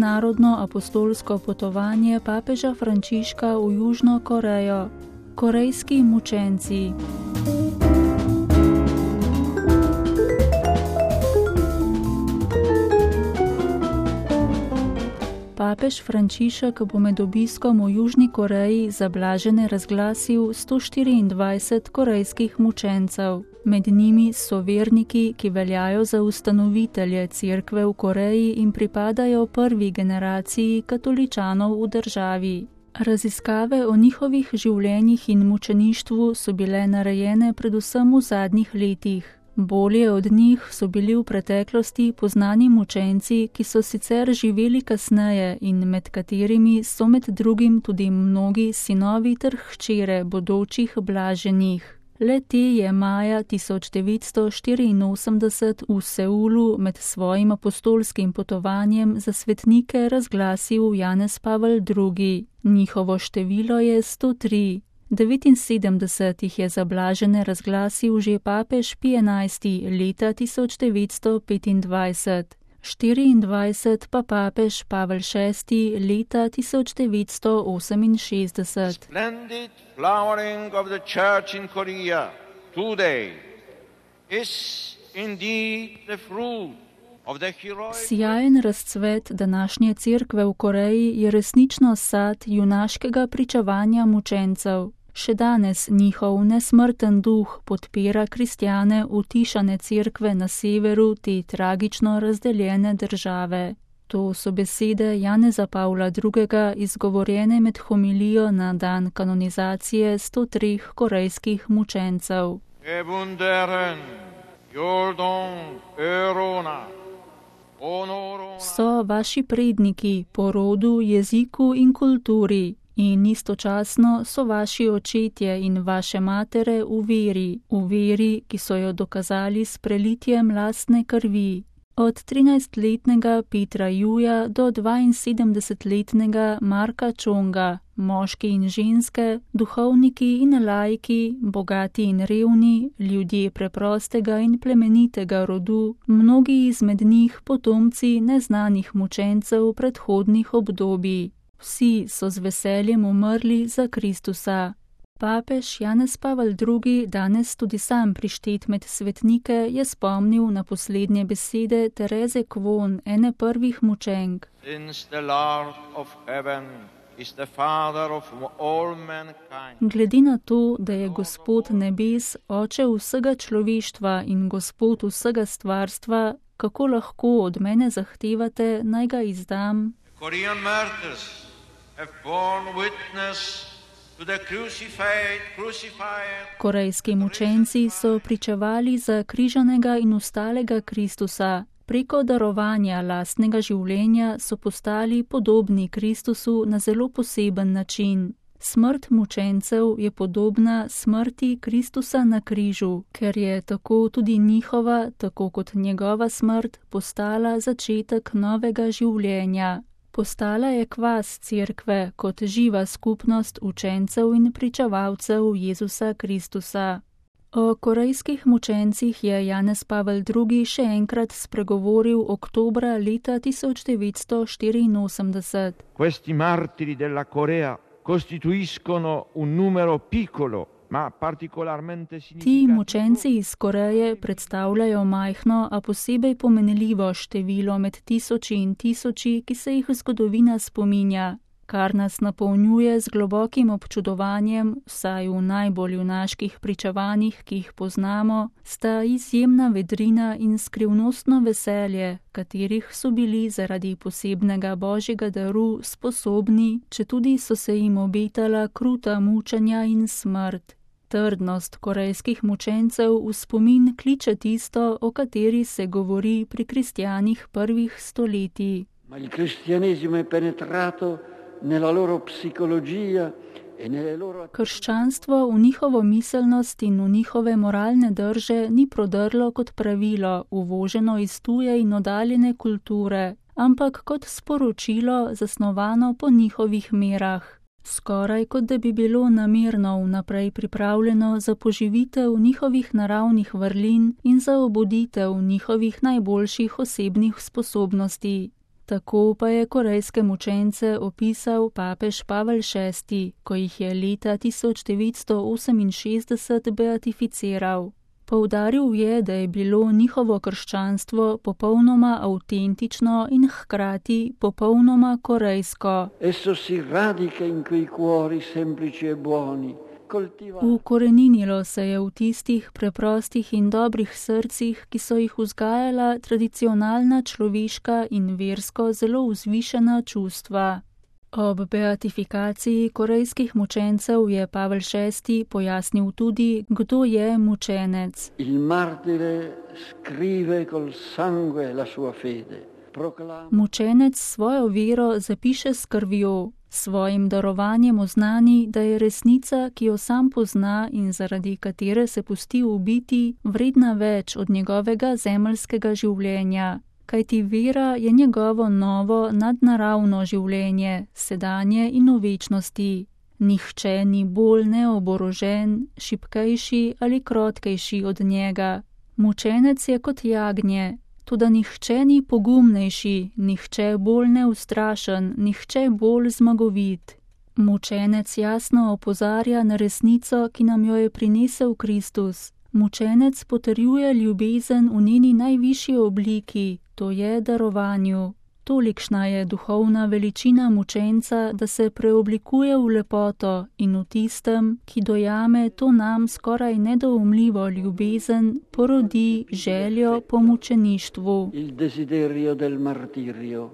mednarodno apostolsko potovanje papeža Frančiška v Južno Korejo. Korejski mučenci. Papež Frančišek bo med obiskom v Južni Koreji za blažene razglasil 124 korejskih mučencev. Med njimi so verniki, ki veljajo za ustanovitelje cerkve v Koreji in pripadajo prvi generaciji katoličanov v državi. Raziskave o njihovih življenjih in mučeništvu so bile narejene predvsem v zadnjih letih. Bolje od njih so bili v preteklosti poznani mučenci, ki so sicer živeli kasneje in med katerimi so med drugim tudi mnogi sinovi ter hčere bodočih blaženih. Le te je maja 1984 v Seulu med svojim apostolskim potovanjem za svetnike razglasil Janez Pavel II. Njihovo število je 103. 79 jih je za blažene razglasil že papež Pij XI leta 1925, 24 pa papež Pavel VI leta 1968. Splendid flowering of the church in Korea today is indeed the fruit. Sijajen razcvet današnje cerkve v Koreji je resnično sad junaškega pričevanja mučencev. Še danes njihov nesmrten duh podpira kristjane utišane cerkve na severu te tragično razdeljene države. To so besede Janeza Pavla II. Izgovorjene med homilijo na dan kanonizacije 103 korejskih mučencev. So vaši predniki po rodu, jeziku in kulturi in istočasno so vaši očetje in vaše matere v veri, ki so jo dokazali s prelitjem lastne krvi. Od 13-letnega Petra Juja do 72-letnega Marka Čonga, moški in ženske, duhovniki in laiki, bogati in revni, ljudje preprostega in plemenitega rodu, mnogi izmed njih potomci neznanih mučencev predhodnih obdobij. Vsi so z veseljem umrli za Kristusa. Papež Janez Pavel II, danes tudi sam prištet med svetnike, je spomnil na poslednje besede Tereze Kvon, ene prvih mučenk. Glede na to, da je Gospod nebes, Oče vsega človeštva in Gospod vsega stvarstva, kako lahko od mene zahtevate, naj ga izdam? Korejski mučenci so pričevali za križanega in ustalega Kristusa. Preko darovanja lastnega življenja so postali podobni Kristusu na zelo poseben način. Smrt mučencev je podobna smrti Kristusa na križu, ker je tako tudi njihova, tako kot njegova smrt, postala začetek novega življenja. Postala je kvas cerkve kot živa skupnost učencev in pričevalcev Jezusa Kristusa. O korejskih mučencih je Janez Pavel II. Še enkrat spregovoril oktobra leta 1984. Questi martiri della Corea costituiscono un numero piccolo, ma particolarmente significativo. Ti mučenci iz Koreje predstavljajo majhno, a posebej pomenljivo število med tisoči in tisoči, ki se jih zgodovina spominja, kar nas napolnjuje z globokim občudovanjem, vsaj v najbolj junaških pričevanjih, ki jih poznamo, sta izjemna vedrina in skrivnostno veselje, katerih so bili zaradi posebnega božjega daru sposobni, četudi so se jim obetala kruta mučenja in smrt. Trdnost korejskih mučencev v spomin kliče tisto, o kateri se govori pri kristjanih prvih stoletij. Ma il cristianesimo è penetrato nella loro psicologia e nelle loro... Krščanstvo v njihovo miselnost in v njihove moralne drže ni prodrlo kot pravilo, uvoženo iz tuje in oddaljene kulture, ampak kot sporočilo, zasnovano po njihovih merah. Skoraj kot da bi bilo namerno vnaprej pripravljeno za poživitev njihovih naravnih vrlin in za obuditev njihovih najboljših osebnih sposobnosti. Tako pa je korejske mučence opisal papež Pavel VI, ko jih je leta 1968 beatificiral. Poudaril je, da je bilo njihovo krščanstvo popolnoma avtentično in hkrati popolnoma korejsko. Esso si radica in quei cuori semplici e buoni. Ukoreninilo se je v tistih preprostih in dobrih srcih, ki so jih vzgajala tradicionalna človeška in versko zelo vzvišena čustva. Ob beatifikaciji korejskih mučencev je Pavel VI pojasnil tudi, kdo je mučenec. Il martire scrive col sangue la sua fede. Mučenec svojo vero zapiše s krvjo, svojim darovanjem oznani, da je resnica, ki jo sam pozna in zaradi katere se pusti ubiti, vredna več od njegovega zemeljskega življenja. Kajti vera je njegovo novo nadnaravno življenje, sedanje in v večnosti. Nihče ni bolj neoborožen, šibkejši ali krotkejši od njega. Mučenec je kot jagnje, toda nihče ni pogumnejši, nihče bolj neustrašen, nihče bolj zmagovit. Mučenec jasno opozarja na resnico, ki nam jo je prinesel Kristus. Mučenec potrjuje ljubezen v njeni najvišji obliki, to je darovanju. Tolikšna je duhovna veličina mučenca, da se preoblikuje v lepoto in v tistem, ki dojame to nam skoraj nedoumljivo ljubezen, porodi željo po mučeništvu. Il desiderio del martirio.